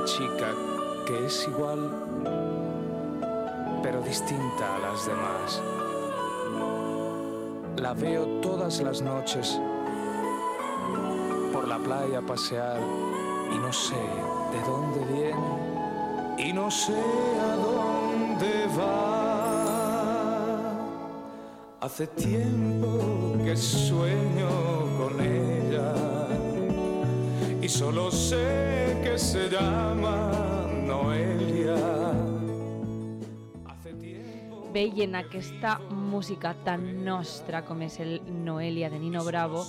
chica que es igual, pero distinta a las demás. La veo todas las noches por la playa pasear y no sé de dónde viene y no sé a dónde va. Hace tiempo que sueño con ella y solo sé que se llama Noelia. Veient aquesta música tan nostra com és el Noelia de Nino Bravo,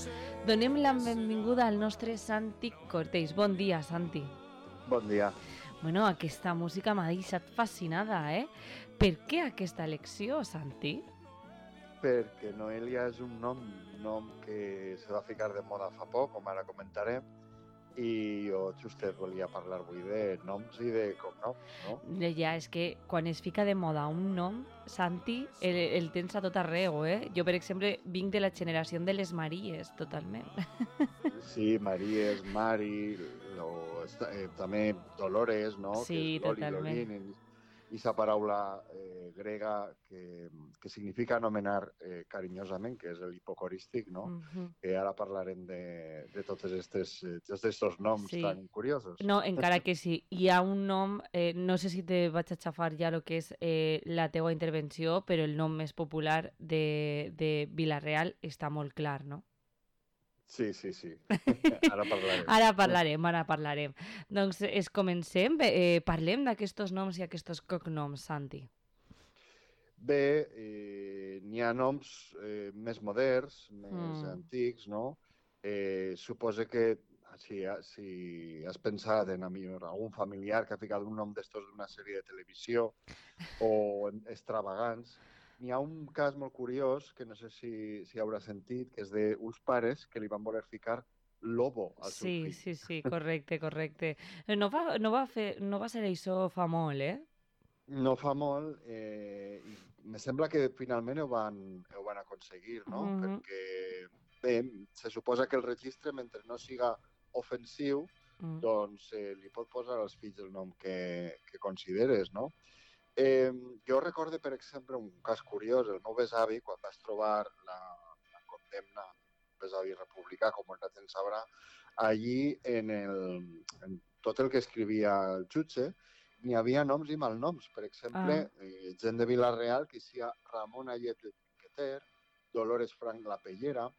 donem la benvinguda al nostre Santi Cortells. Bon dia, Santi. Bon dia. Bueno, aquesta música m'ha deixat fascinada, Per què aquesta elecció, Santi? Perquè Noelia és un nom que se va ficar de moda fa poc, com ara comentarem, i jo justet volia parlar avui de noms i de cognoms, no? Ja, és que quan es fica de moda un nom, Santi, el tens a tot arreu, Jo, per exemple, vinc de la generació de les Maries, totalment. Sí, Maries, Mari, també Dolores, no? Sí, que és totalment. Lolin, i sa paraula grega que significa anomenar carinyosament, que és l'hipocorístic, no? Que ara parlarem de tots aquests noms tan curiosos. No, encara que sí. Hi ha un nom, no sé si te vaig a xafar ja el que és la teua intervenció, però el nom més popular de Vila-real està molt clar, no? Sí. Ara parlarem. Ara parlarem. Doncs comencem. Parlem d'aquests noms i aquests cognoms, Santi. Bé, n'hi ha noms més moderns, més antics, no? Suposa que si has pensat en algun familiar que ha ficat un nom d'estos d'una sèrie de televisió o extravagants, n'hi ha un cas molt curiós, que no sé si haurà sentit, que és d'uns pares que li van voler ficar Lobo al seu fill. Sí, correcte. No va ser això fa molt, No fa molt, i me sembla que finalment ho van aconseguir, no? Perquè, bé, se suposa que el registre, mentre no siga ofensiu, doncs li pot posar als fills el nom que consideres, no? Jo recordo, per exemple, un cas curiós. El meu besavi, quan vas trobar la condemna, un besavi republicà, com el gent sabrà, allí, en tot el que escrivia el jutge, n'hi havia noms i malnoms. Per exemple, gent de Vila-real que sia Ramon Ayet el Trinqueter, Dolores Frank la Pellera,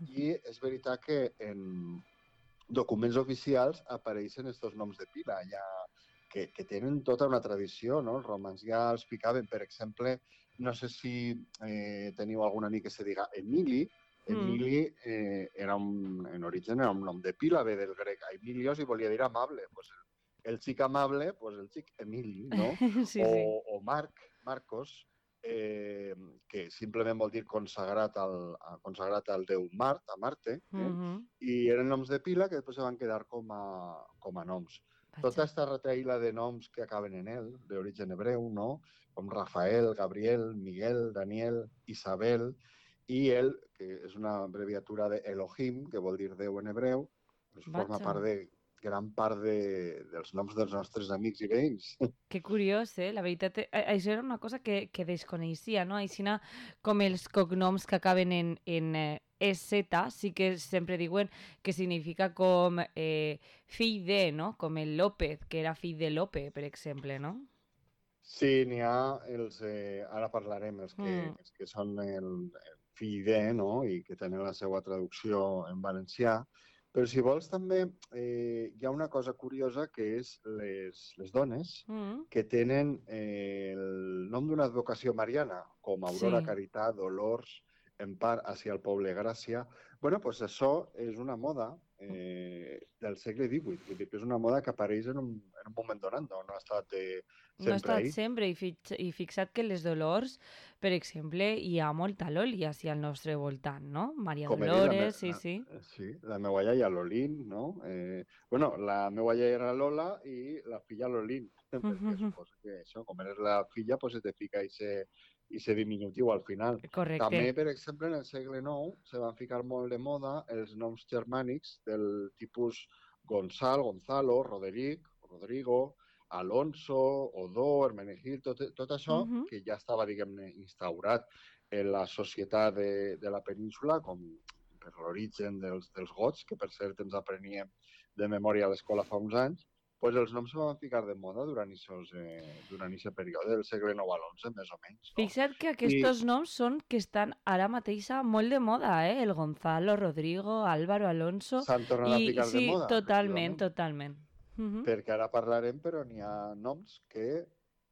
i és veritat que en documents oficials apareixen aquests noms de pila, ja que tenen tota una tradició, no? Els romans ja els ficaven, per exemple, no sé si teniu algun amic que se diga Emili. Emili en origen era un nom de pila, ve del grec Emilios i volia dir amable. Pues el xic amable, pues el xic Emili, no? Sí. O Marcos, que simplement vol dir consagrat al déu Mart, a Marte, i eren noms de pila que després se van quedar com a noms. Tota aquesta retaïla de noms que acaben en el, d'origen hebreu, no? Com Rafael, Gabriel, Miguel, Daniel, Isabel, i el, que és una abreviatura de Elohim, que vol dir Déu en hebreu, forma part gran part dels noms dels nostres amics i veïns. Que curiós, La veritat, això era una cosa que desconeixia, no? Aixina com els cognoms que acaben en EZ, sí que sempre diuen que significa com fill de, no? Com el López, que era fill de Lope, per exemple, no? Sí, n'hi ha els, ara parlarem, els que són el fill de, no? I que tenen la seva traducció en valencià. Però si vols també hi ha una cosa curiosa, que és les dones que tenen el nom d'una advocació mariana, com Aurora, Caritat, Dolors, Empar, hacia el poble Gràcia. Bueno, doncs això és una moda del segle XVIII, vull dir que és una moda que apareix en un moment donat, no ha estat sempre No ha estat ahí. sempre, i fixa't que les Dolors, per exemple, hi ha molta Loli al nostre voltant, no? Maria Dolores, sí. Sí, la meva iaia Lolín, no? Bueno, la meva iaia era Lola i la filla Lolín, perquè suposo que això, com eres la filla, pues se te fica i ser diminutiu al final. Correcte. També, per exemple, en el segle IX se van ficar molt de moda els noms germànics del tipus Gonçal, Gonzalo, Roderic, Rodrigo, Alonso, Odó, Hermenegildo, tot això que ja estava, diguem-ne, instaurat en la societat de la península, com per l'origen dels gots, que per cert ens apreníem de memòria a l'escola fa uns anys, pues els noms se van ficar de moda durant aquest període del segle IX a l'XI, més o menys. No? Fixa't que aquests noms són que estan ara mateix molt de moda, El Gonzalo, Rodrigo, Álvaro, Alonso... S'han tornat a ficar de moda. Sí, totalment. Perquè ara parlarem, però n'hi ha noms que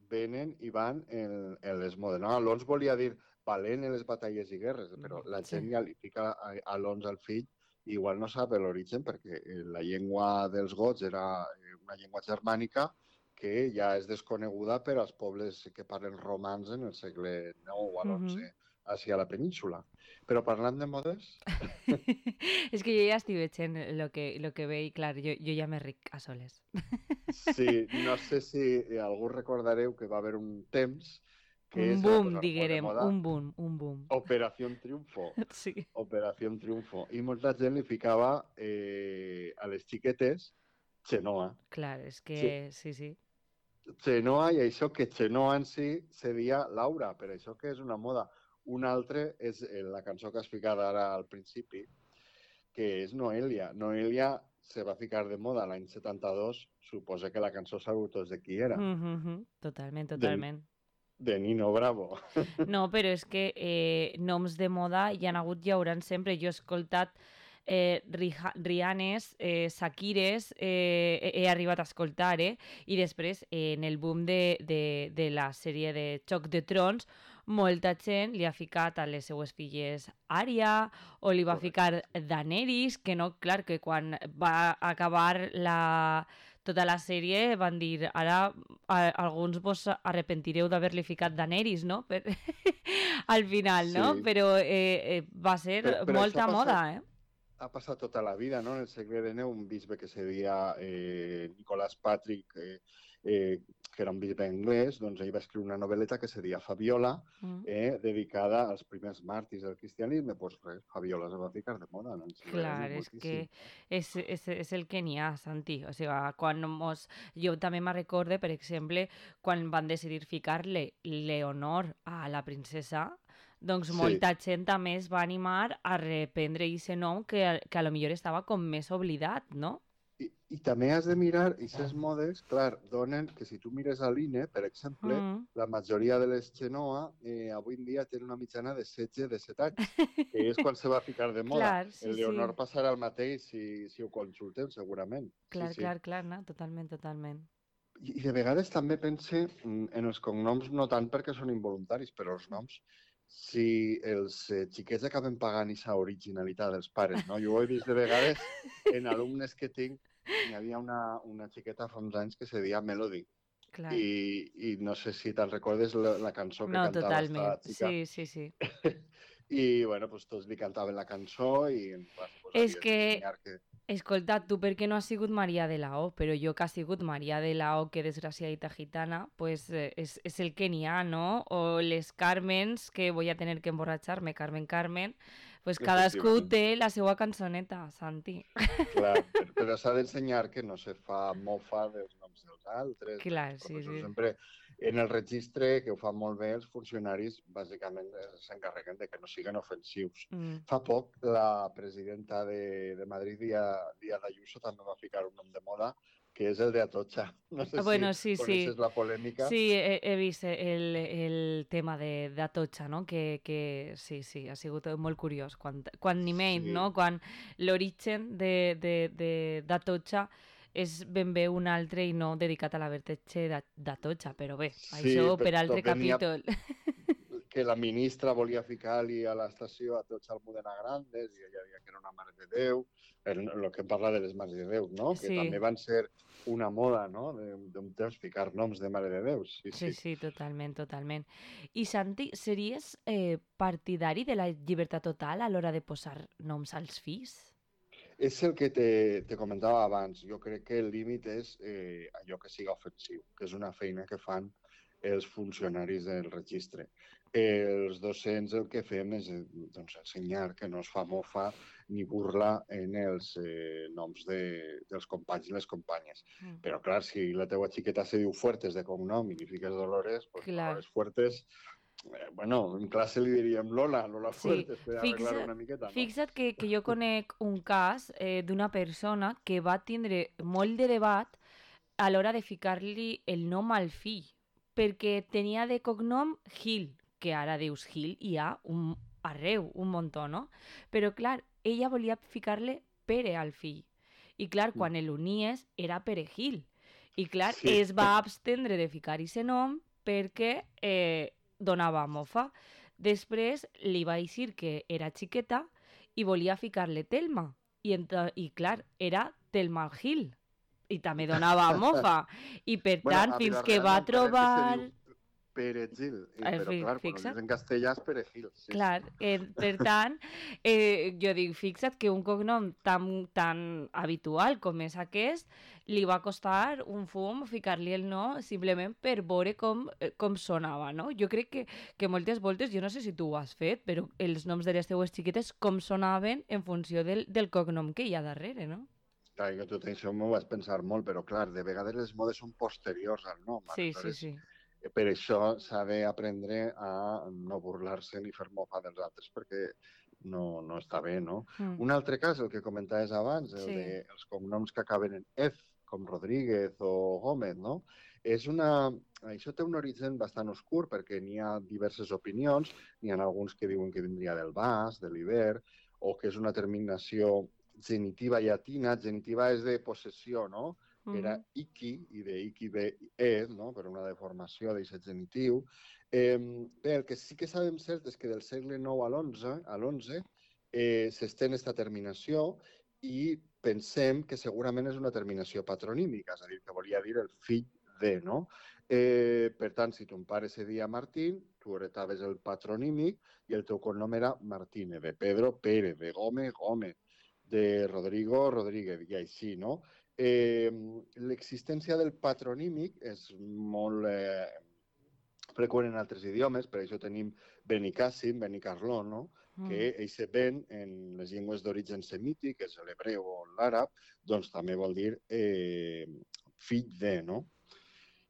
venen i van en les modes. No? Alonso volia dir valent en les batalles i guerres, però la gent ja li fica Alonso al fill i igual no sap l'origen perquè la llengua dels gots era una llengua germànica que ja és desconeguda per als pobles que parlen romans en el segle IX o XI hacia la península. Però parlant de modes... És que jo ja estic veient lo que ve i, clar, jo ja me ric a soles. Sí, no sé si algú recordareu que va haver un temps un boom, diguem, un boom. Operació Triunfo. Sí. Operació Triunfo. I molta gent li ficava a les xiquetes Xenoa. Clar, és que sí. Xenoa, i això que Xenoa en si se deia Laura, per això que és una moda. Un altre és la cançó que has ficat ara al principi, que és Noelia. Noelia se va ficar de moda l'any 72, suposa que la cançó sabeu tots de qui era. Totalment. De Nino Bravo. No, però és que noms de moda hi ha hagut i hi hauran sempre. Jo he escoltat Rihannes, Shakires, he arribat a escoltar, i després en el boom de la sèrie de Xoc de Trons, molta gent li ha ficat a les seues filles Arya o li va ficar Daenerys, que no, clar, que quan va acabar tota la sèrie van dir ara alguns vos arrepentireu d'haver-li ficat Daenerys, no? Al final, no? Però va ser molta moda, Ha passat tota la vida, no? En el segle XIX, un bisbe que se deia Nicolás Patrick, que era un bisbe anglès, doncs ell va escriure una novel·leta que se deia Fabiola, dedicada als primers màrtirs del cristianisme. Doncs res, Fabiola se va ficar de moda. No? Clar, és que és el que n'hi ha, Santi. O sigui, jo també me recorde, per exemple, quan van decidir ficar-li Leonor a la princesa, doncs molta gent també es va animar a reprendre aquest nom que a lo millor estava com més oblidat, no? I també has de mirar, aquestes modes, clar, donen que si tu mires a l'INE, per exemple, la majoria de les Xenoa avui en dia tenen una mitjana de 16-17 anys, que és quan se va ficar de moda. Clar, sí, el Leonor passarà el mateix si ho consulten, segurament. Clar, no? Totalment. I de vegades també pense en els cognoms, no tant perquè són involuntaris, però els noms, si els xiquets acaben pagant aquesta originalitat dels pares, no? Jo ho he vist de vegades en alumnes que tinc. Hi havia una xiqueta fa uns anys que se deia Melody. Clar. I no sé si te'n recordes la cançó que cantava totalment. Esta xica. Sí. I, bueno, pues tots li cantaven la cançó i... És que... Escolta, tu perquè no has sigut Maria de la O, però jo que ha sigut Maria de la O, que desgraciadita gitana, pues és el que n'hi ha, no? O les Carmens, que voy a tener que emborratxar-me, Carmen, pues cadascú té la seva cançoneta, Santi. Clar, però s'ha d'ensenyar que no se fa mofa dels noms dels altres. Clar, sí. Sempre en el registre, que ho fan molt bé, els funcionaris bàsicament s'encarreguen de que no siguin ofensius. Fa poc la presidenta de Madrid, Díaz Ayuso, també va ficar un nom de moda, que és el de Atocha. No sé si coneixes la polèmica. Sí, he vist el tema d'Atocha, no? Que sí, ha sigut molt curiós. Quan ni menys, no? Quan l'origen d'Atocha és ben bé un altre i no dedicat a la vertetxe d'Atocha, però bé, això per altre capítol. Que la ministra volia ficar-li a l'estació Atocha Almudena Grandes i ella deia que era una Mare de Déu, el que parla de les Mares de Déu, no? Que també van ser una moda, no?, d'un temps ficar noms de Mare de Déu. Sí, totalment. I Santi, series partidari de la llibertat total a l'hora de posar noms als fills? És el que te comentava abans. Jo crec que el límit és allò que siga ofensiu, que és una feina que fan els funcionaris del registre. Els docents el que fem és doncs, ensenyar que no es fa mofa ni burla en els noms dels companys i les companyes. Però, clar, si la teua xiqueta se diu Fuertes de cognom i li fiques Dolores, pues Dolores Fuertes, bueno, en classe li diríem Lola Fuertes, per arreglar una miqueta, no? Fixa't que jo conec un cas d'una persona que va tindre molt de debat a l'hora de ficar-li el nom al fill, perquè tenia de cognom Gil, que ara dius Gil i hi ha arreu, un muntó, no? Però, clar, ella volia ficar-li Pere al fill. I, clar, quan l'unies era Perejil. I, clar, es va abstendre de ficar-hi ese nom perquè donava mofa. Després li va dir que era xiqueta i volia ficar-li Telma. I clar, era Telma Gil. I també donava mofa. I per tant, fins que va trobar... Perejil, però clar, quan ho dius en castellà és Perejil. Clar, per tant, jo dic, fixa't que un cognom tan habitual com és aquest, li va costar un fum ficar-li el no simplement per veure com sonava, no? Jo crec que moltes voltes, jo no sé si tu ho has fet, però els noms de les teues xiquetes com sonaven en funció del cognom que hi ha darrere, no? Clar, jo tot això m'ho vaig pensar molt, però clar, de vegades les modes són posteriors al nom. Sí. Per això s'ha d'aprendre a no burlar-se ni fer mofa dels altres, perquè no està bé, no? Un altre cas, el que comentaves abans, el dels cognoms que acaben en F, com Rodríguez o Gómez, no? Això té un origen bastant oscur, perquè n'hi ha diverses opinions, n'hi ha alguns que diuen que vindria del Bas, de l'Iber, o que és una terminació genitiva llatina. Genitiva és de possessió, no? Que era Iki, i de Iki ve E, no? Per una deformació d'aquest genitiu. Bé, el que sí que sabem cert és que del segle IX a l'XI s'estén aquesta terminació i pensem que segurament és una terminació patronímica, és a dir, que volia dir el fill de, no? Per tant, si ton pare se deia Martín, tu heretaves el patronímic i el teu cognom era Martínez, de Pedro, Pérez, de Gómez, Gómez, de Rodrigo, Rodríguez, i així, no? L'existència del patronímic és molt freqüent en altres idiomes, per això tenim Benicàssim, Benicarló, no? Que eixe ben en les llengües d'origen semític, que és l'hebreu o l'àrab, doncs també vol dir fill de, no?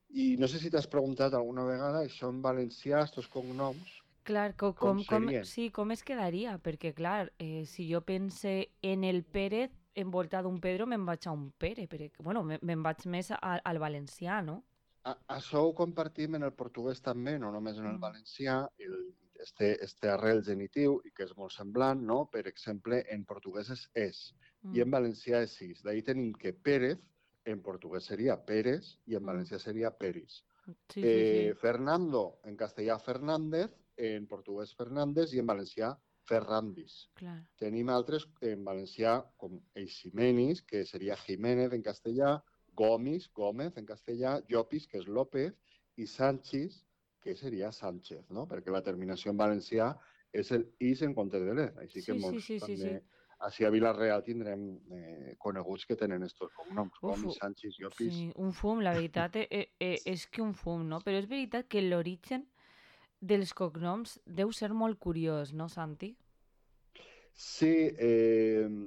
I no sé si t'has preguntat alguna vegada això en valencià, estos cognoms, clar, com es quedaria? Perquè, clar, si jo pense en el Pérez, envoltat d'un Pedro, me'n vaig a un Pere, perquè, bueno, me'n vaig més al valencià, no? Això ho compartim en el portuguès també, no només en el valencià, este arrel genitiu, i que és molt semblant, no? Per exemple, en portuguès és i en valencià és sis. D'ahí tenim que Pérez, en portuguès seria Pérez, i en valencià seria Peris. Fernando, en castellà Fernández, en portuguès Fernández, i en valencià Ferrandis. Tenim altres en valencià com Eiximenis, que seria Jiménez en castellà, Gomis, Gómez en castellà, Llopis, que és López, i Sanchis, que seria Sánchez, no? Perquè la terminació en valencià és el is en comptes de l'er. Així que molts també... Així a Vila-real tindrem coneguts que tenen estos cognoms, Gomis, Sanchis, Llopis... Sí, un fum, la veritat és que un fum, no? Però és veritat que l'origen dels cognoms deu ser molt curiós, no, Santi? Sí,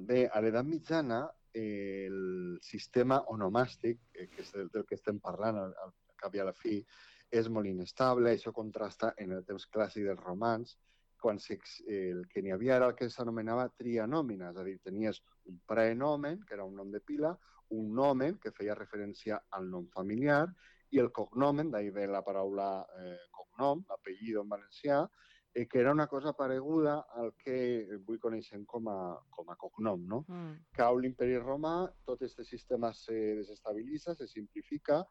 bé, a l'edat mitjana el sistema onomàstic, que és del que estem parlant al cap i a la fi, és molt inestable. Això contrasta en el temps clàssic dels romans, quan el que n'hi havia era el que s'anomenava trianòmina, és a dir, tenies un praenomen, que era un nom de pila, un nomen, que feia referència al nom familiar, i el cognomen, d'ahir ve la paraula cognom, apellido en valencià, que era una cosa pareguda al que avui coneixem com a cognom, no? Cau l'imperi romà, tot aquest sistema se desestabilitza, se simplifica,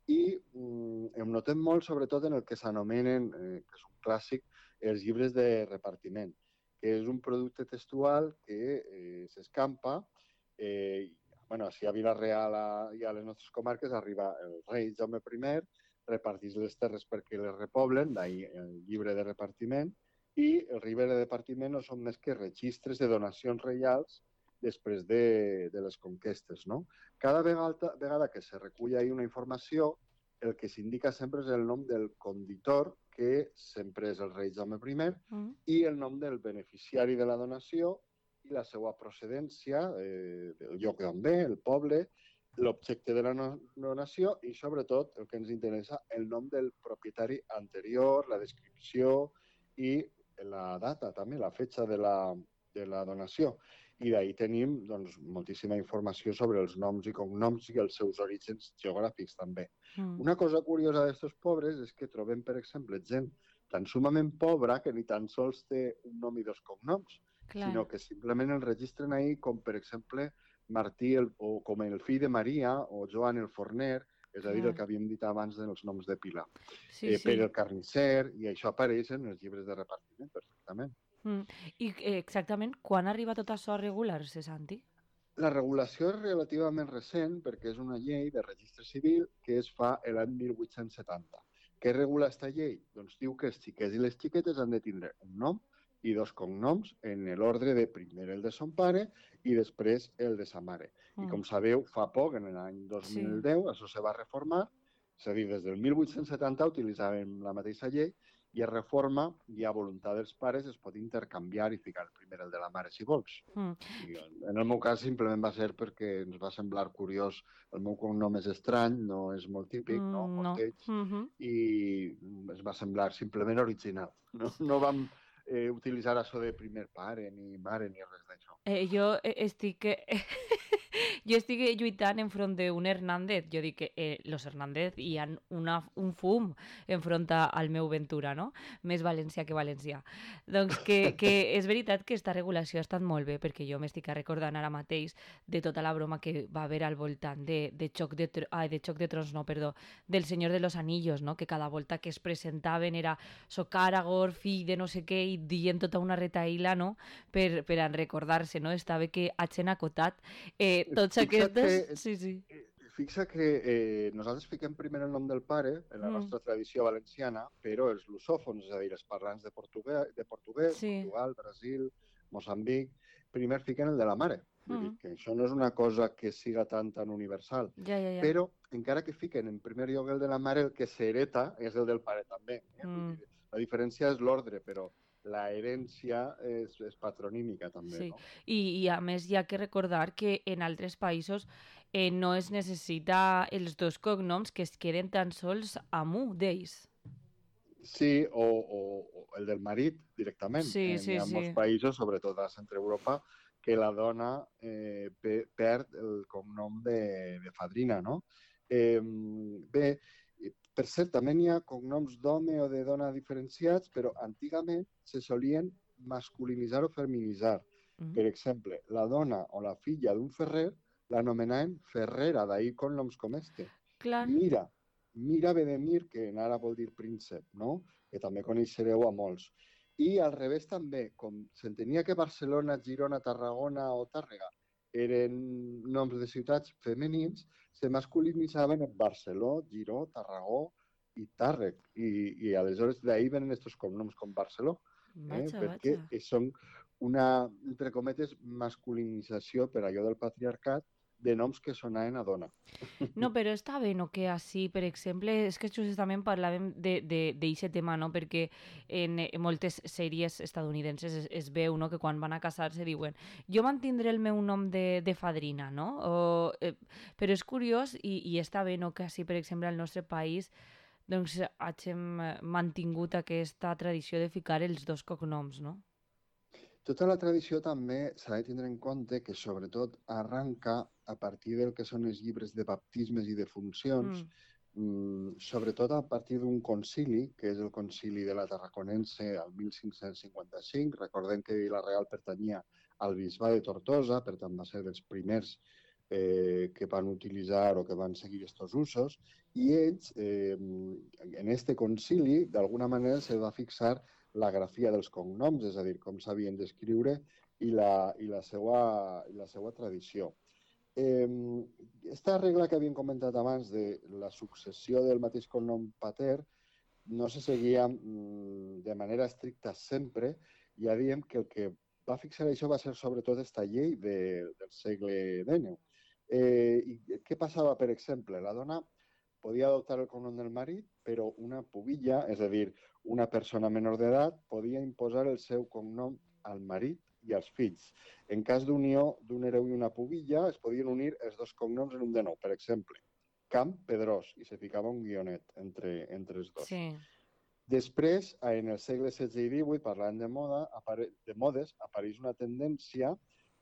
i em notem molt, sobretot, en el que s'anomenen, que és un clàssic, els llibres de repartiment, que és un producte textual que s'escampa. Si a Vila-real i a les nostres comarques arriba el rei Jaume I, reparteix les terres perquè les repoblen, d'ahir el llibre de repartiment, i el llibre de repartiment no són més que registres de donacions reials després de les conquestes, no? Cada vegada que se recull ahir una informació, el que s'indica sempre és el nom del conditor, que sempre és el rei Jaume I, i el nom del beneficiari de la donació i la seva procedència, del lloc d'on ve, el poble, l'objecte de la donació i, sobretot, el que ens interessa, el nom del propietari anterior, la descripció i la data, també, la fetge de la donació. I d'ahir tenim doncs, moltíssima informació sobre els noms i cognoms i els seus orígens geogràfics, també. Una cosa curiosa d'aquests pobres és que trobem, per exemple, gent tan sumament pobra que ni tan sols té un nom i dos cognoms, sinó que simplement el registren ahir com, per exemple, Martí o com el fill de Maria o Joan el forner, és a dir, el que havíem dit abans dels noms de pila. Pere el carnisser, i això apareix en els llibres de repartiment perfectament. I exactament quan arriba tot això a regular-se, Santi? La regulació és relativament recent perquè és una llei de registre civil que es fa l'any 1870. Què regula aquesta llei? Doncs diu que els xiquets i les xiquetes han de tindre un nom i dos cognoms en l'ordre de primer el de son pare i després el de sa mare. I com sabeu, fa poc, en l'any 2010, això se va reformar, és a dir, des del 1870 utilitzàvem la mateixa llei i es reforma i a voluntat dels pares es pot intercanviar i ficar primer el de la mare si vols. I en el meu cas simplement va ser perquè ens va semblar curiós. El meu cognom és estrany, no és molt típic, molt lleig, i es va semblar simplement original. No vam utilitzar això de primer pare, ni mare, ni res d'això. Jo estic lluitant enfront d'un Hernández. Jo dic que los Hernández hi ha un fum enfront al meu Ventura, no? Més valencià que valencià. Doncs que és veritat que aquesta regulació ha estat molt bé, perquè jo m'estic recordant ara mateix de tota la broma que va haver al voltant de Xoc de Trons, no, perdó, del Senyor de los Anillos, no? Que cada volta que es presentaven era soc Aragorn, fill de no sé què, i dient tota una retaïla, no? Per a recordar-se, no? Està bé que hagin acotat tots aquestes... Fixa que nosaltres fiquem primer el nom del pare en la nostra tradició valenciana, però els lusòfons, és a dir, els parlants de portuguès, Portugal, Brasil, Moçambic, primer fiquen el de la mare. Vull dir que això no és una cosa que siga tan universal. Però, encara que fiquen en primer lloc el de la mare, el que s'hereta és el del pare també. La diferència és l'ordre, però la herència és patronímica també. No? I a més hi ha que recordar que en altres països no es necessita els dos cognoms, que es queden tan sols amb un d'ells. Sí, o el del marit directament. Hi ha molts països, sobretot a Centre Europa, que la dona perd el cognom de fadrina, no? Bé, per cert, també hi ha cognoms d'home o de dona diferenciats, però antigament se solien masculinitzar o feminitzar. Per exemple, la dona o la filla d'un ferrer l'anomenaven Ferrera, d'ahir cognoms com este. Mira ve de Mir, que en àrab vol dir príncep, no? Que també coneixereu a molts. I al revés també, com s'entenia que Barcelona, Girona, Tarragona o Tàrrega eren noms de ciutats femenins, se masculinitzaven en Barceló, Giró, Tarragó i Tàrrec. I aleshores d'ahir venen aquests cognoms com Barceló, perquè són una, entre cometes, masculinització per allò del patriarcat de noms que sonaven a dona. No, però està bé, no? Que així, per exemple, és que justament parlàvem d'aquest tema, no? Perquè en moltes sèries estadounidenses es veu, no? Que quan van a casar-se diuen jo mantindré el meu nom de fadrina, no? Però és curiós i està bé, no? Que així, per exemple, al nostre país doncs hàgim mantingut aquesta tradició de ficar els dos cognoms, no? Tota la tradició també s'ha de tindre en compte que sobretot arranca a partir del que són els llibres de baptismes i de funcions, sobretot a partir d'un concili, que és el concili de la Tarraconense al 1555. Recordem que Vila-real pertanyia al bisbe de Tortosa, per tant va ser dels primers que van utilitzar o que van seguir aquests usos, i ells, en este concili, d'alguna manera se va fixar la grafia dels cognoms, és a dir, com s'havien d'escriure i la seva tradició. Aquesta regla que havíem comentat abans de la successió del mateix cognom pater no se seguia de manera estricta sempre. Ja diem que el que va fixar això va ser sobretot aquesta llei del segle XIX. I què passava, per exemple? La dona podia adoptar el cognom del marit, però una pubilla, és a dir, una persona menor d'edat, podia imposar el seu cognom al marit i als fills. En cas d'unió d'un hereu i una pubilla, es podien unir els dos cognoms en un de nou. Per exemple, Camp Pedrós, i se ficava un guionet entre els dos. Sí. Després, en el segle XVI i XVIII, parlant de modes, apareix una tendència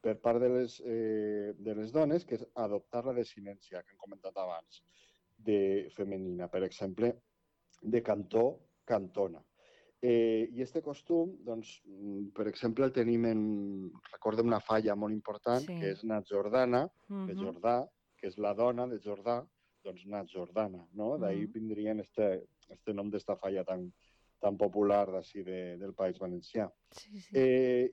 per part de les dones, que és adoptar la desinència, que hem comentat abans, de femenina. Per exemple, de cantó, cantona. I aquest costum, doncs, per exemple, el tenim recordem una falla molt important, que és Nat Jordana, de Jordà, que és la dona de Jordà, doncs Nat Jordana, no? D'ahí vindrien este nom d'esta falla tan popular d'ací del País Valencià. Sí, sí.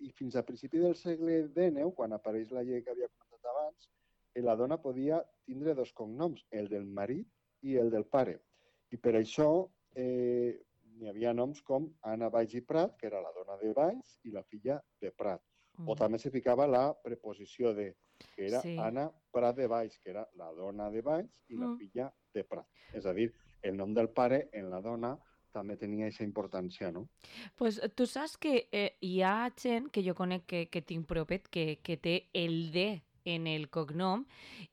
I fins a principi del segle XIX, quan apareix la llei que havia comentat abans, la dona podia tindre dos cognoms, el del marit i el del pare. I per això hi havia noms com Anna Valls i Prat, que era la dona de Valls, i la filla de Prat. O també se ficava la preposició de, que era Anna Prat de Valls, que era la dona de Valls i la filla de Prat. És a dir, el nom del pare en la dona també tenia aquesta importància, no? Pues tu saps que hi ha gent que jo conec que tinc propet que té el D en el cognom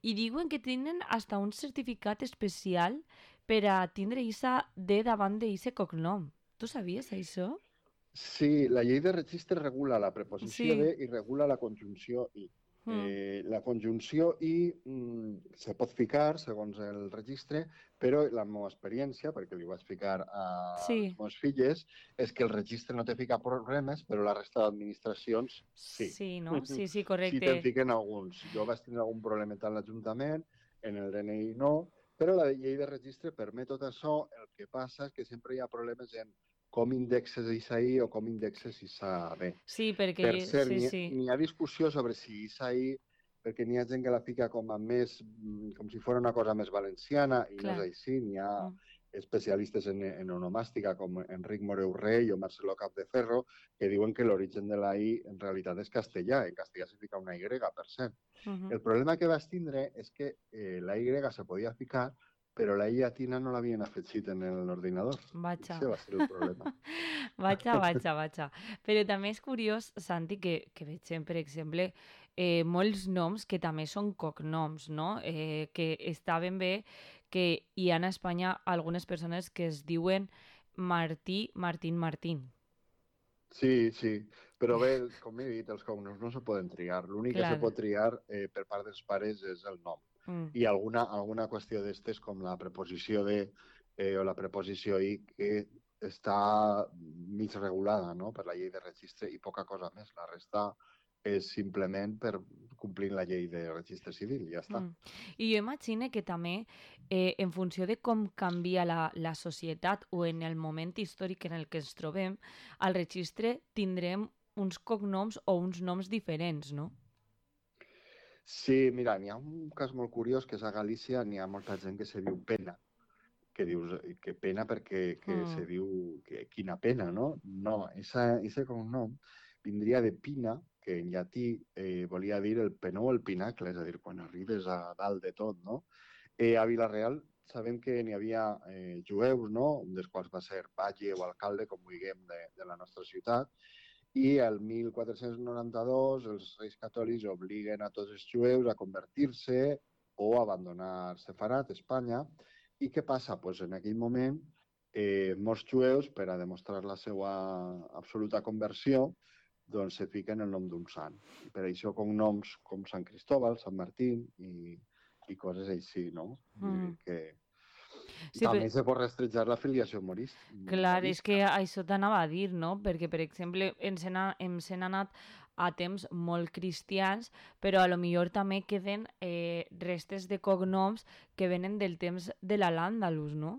i diuen que tenen hasta un certificat especial per a tindre aquesta D davant d'aquest cognom. Tu sabies això? Sí, la llei de registre regula la preposició de i regula la conjunció i. La conjunció i se pot ficar segons el registre, però la meva experiència, perquè li vaig ficar a les meves filles, és que el registre no te fica problemes, però la resta d'administracions sí. Sí, no? Sí, correcte. Sí te'n fiquen alguns. Jo vaig tenir algun problema a l'Ajuntament, en el DNI no, però la llei de registre permet tot això. El que passa és que sempre hi ha problemes en com indexes ISAI o com indexes ISAB. Sí, perquè... Per cert, n'hi ha discussió sobre si ISAI, perquè n'hi ha gent que la fica com si fos una cosa més valenciana, i no és així. N'hi ha especialistes en onomàstica, com Enric Moreu Rey o Marcelo Capdeferro, que diuen que l'origen de la I en realitat és castellà. En castellà se fica una Y, per cert. El problema que vaig tindre és que la Y se podia ficar, però la I llatina no l'havien afegit en l'ordinador. Vaja. Això va ser el problema. Vaja. Però també és curiós, Santi, que veiem, per exemple, molts noms que també són cognoms, no? Que està ben bé que hi ha a Espanya algunes persones que es diuen Martí, Martín. Sí, però bé, com he dit, els cognoms no se poden triar. L'únic que se pot triar per part dels pares és el nom. I alguna qüestió d'estes com la preposició de o la preposició i que està mig regulada, no?, per la llei de registre i poca cosa més. La resta és simplement per complir la llei de registre civil i ja està. I jo imagino que també en funció de com canvia la societat o en el moment històric en el que ens trobem, al registre tindrem uns cognoms o uns noms diferents, no? Sí, mira, n'hi ha un cas molt curiós, que és a Galícia, n'hi ha molta gent que se diu Pena, que dius que pena perquè se diu que quina pena, no? No, ese cognom vindria de Pina, que en llatí volia dir el penó o el pinacle, és a dir, quan arribes a dalt de tot, no? A Vila-real sabem que n'hi havia jueus, no?, un dels quals va ser batlle o alcalde, com vulguem, de la nostra ciutat, i el 1492 els reis catòlics obliguen a tots els jueus a convertir-se o a abandonar Sefarat, Espanya. I què passa? Pues en aquell moment, molts jueus, per a demostrar la seva absoluta conversió, doncs se fiquen el nom d'un sant. I per això cognoms com Sant Cristóbal, Sant Martín i coses així, no? Que també se pot rastrejar la filiació morista. Clar, és que això t'anava a dir, no? Perquè, per exemple, ens hem anat a temps molt cristians, però a lo millor també queden restes de cognoms que venen del temps de l'Al-Àndalus, no?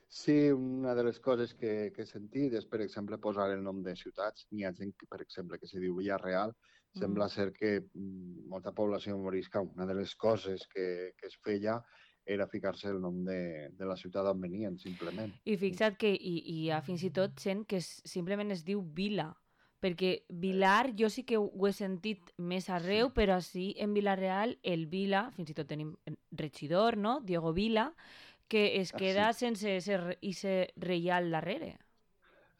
Sí, una de les coses que he sentit és, per exemple, posar el nom de ciutats. N'hi ha gent, per exemple, que se diu Villarreal. Sembla ser que molta població morisca, una de les coses que es feia era ficar-se el nom de la ciutat on venien, simplement. I fixa't que hi ha fins i tot gent que simplement es diu Vila, perquè Vilar jo sí que ho he sentit més arreu, però així en Vila-real el Vila, fins i tot tenim regidor, no?, Diego Vila, que es queda sense ese reial darrere.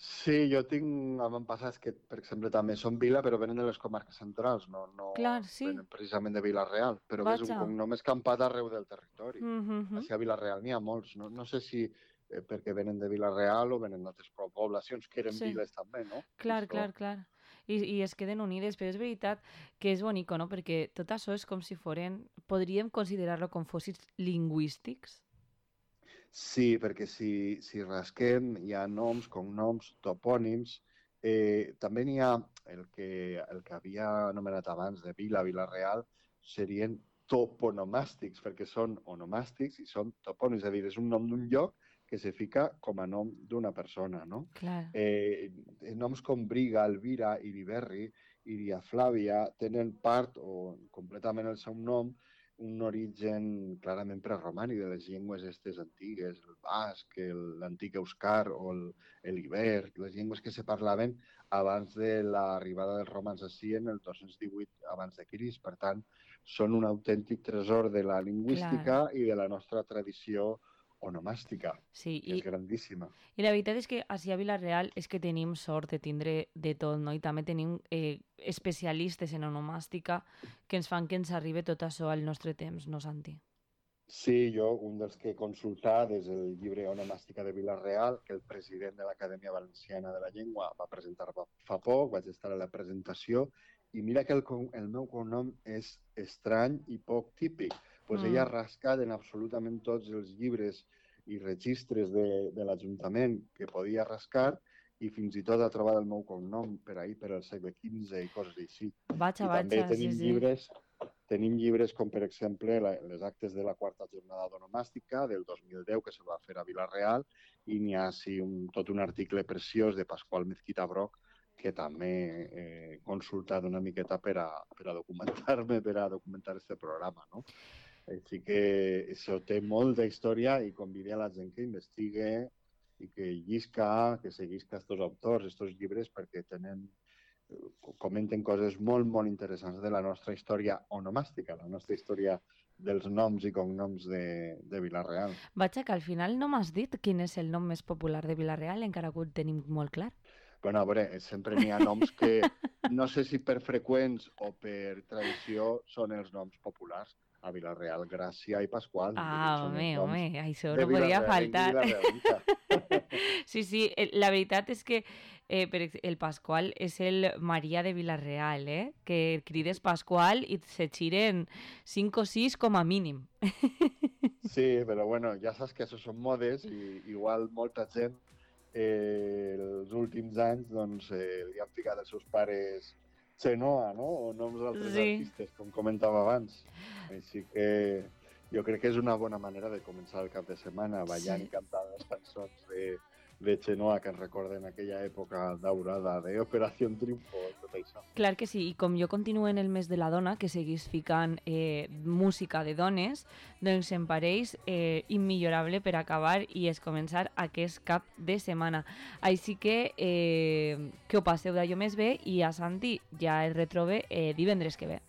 Sí, jo tinc avantpassats que, per exemple, també són vila, però venen de les comarques centrals, no Clar, sí. venen precisament de Vila-real, però és un cognom escampat arreu del territori. Així a Vila-real n'hi ha molts, no sé si perquè venen de Vila-real o venen d'altres poblacions que eren viles també, no? Clar. I es queden unides, però és veritat que és bonic, no? Perquè tot això és com si foren, podríem considerar-lo com fòssils lingüístics. Sí, perquè si rasquem hi ha noms, cognoms, topònims. També n'hi ha el que havia anomenat abans de vila, Vila-real, serien toponomàstics, perquè són onomàstics i són topònims, és a dir, és un nom d'un lloc que se fica com a nom d'una persona, no? Clar. Noms com Briga, Elvira, Iriberri, Iria Flàvia, tenen part o completament el seu nom un origen clarament preromànic de les llengües estes antigues, el basc, l'antic euscar o l'iber, les llengües que se parlaven abans de l'arribada dels romans ací en el 218 abans de Crist. Per tant, són un autèntic tresor de la lingüística i de la nostra tradició onomàstica, que és grandíssima. I la veritat és que ací a Vila-real és que tenim sort de tindre de tot, no? I també tenim especialistes en onomàstica que ens fan que ens arribi tot això al nostre temps, no, Santi? Sí, jo, un dels que he consultat és el llibre Onomàstica de Vila-real, que el president de l'Acadèmia Valenciana de la Llengua va presentar fa poc, vaig estar a la presentació, i mira que el meu cognom és estrany i poc típic. Pues ella ha rascat en absolutament tots els llibres i registres de l'Ajuntament que podia rascar i fins i tot ha trobat el meu cognom per ahir, per al segle XV i coses així. També tenim llibres com, per exemple, les actes de la quarta jornada d'onomàstica del 2010 que se va fer a Vila-real i n'hi ha tot un article preciós de Pasqual Mezquita Broc que també he consultat una miqueta per a documentar-me, per a documentar aquest programa, no? Així que això té molta història i convido a la gent que investigue i que llisca, que seguisca aquests autors, aquests llibres, perquè comenten coses molt, molt interessants de la nostra història onomàstica, la nostra història dels noms i cognoms de Vila-real. Vaja, que al final no m'has dit quin és el nom més popular de Vila-real, encara que ho tenim molt clar. Bueno, a veure, sempre n'hi ha noms que no sé si per freqüents o per tradició són els noms populars. A Vila-real, Gràcia i Pasqual. Home, això no podia faltar. Sí, la veritat és que el Pasqual és el Maria de Vila-real, que crides Pasqual i se xiren 5 o 6 com a mínim. Sí, però bueno, ja saps que això són modes i igual molta gent els últims anys doncs, li han ficat els seus pares Chenoa, no? O noms d'altres artistes, com comentava abans. Així que jo crec que és una bona manera de començar el cap de setmana ballant i cantant les cançons de Chenoa que ens recorden aquella època daurada d'Operació Triunfo i tot això. Clar que sí, i com jo continuo en el mes de la dona, que seguís ficant música de dones, doncs em pareix immillorable per acabar i és començar aquest cap de setmana. Així que ho passeu d'allò més bé i a Santi ja el retrobe divendres que ve.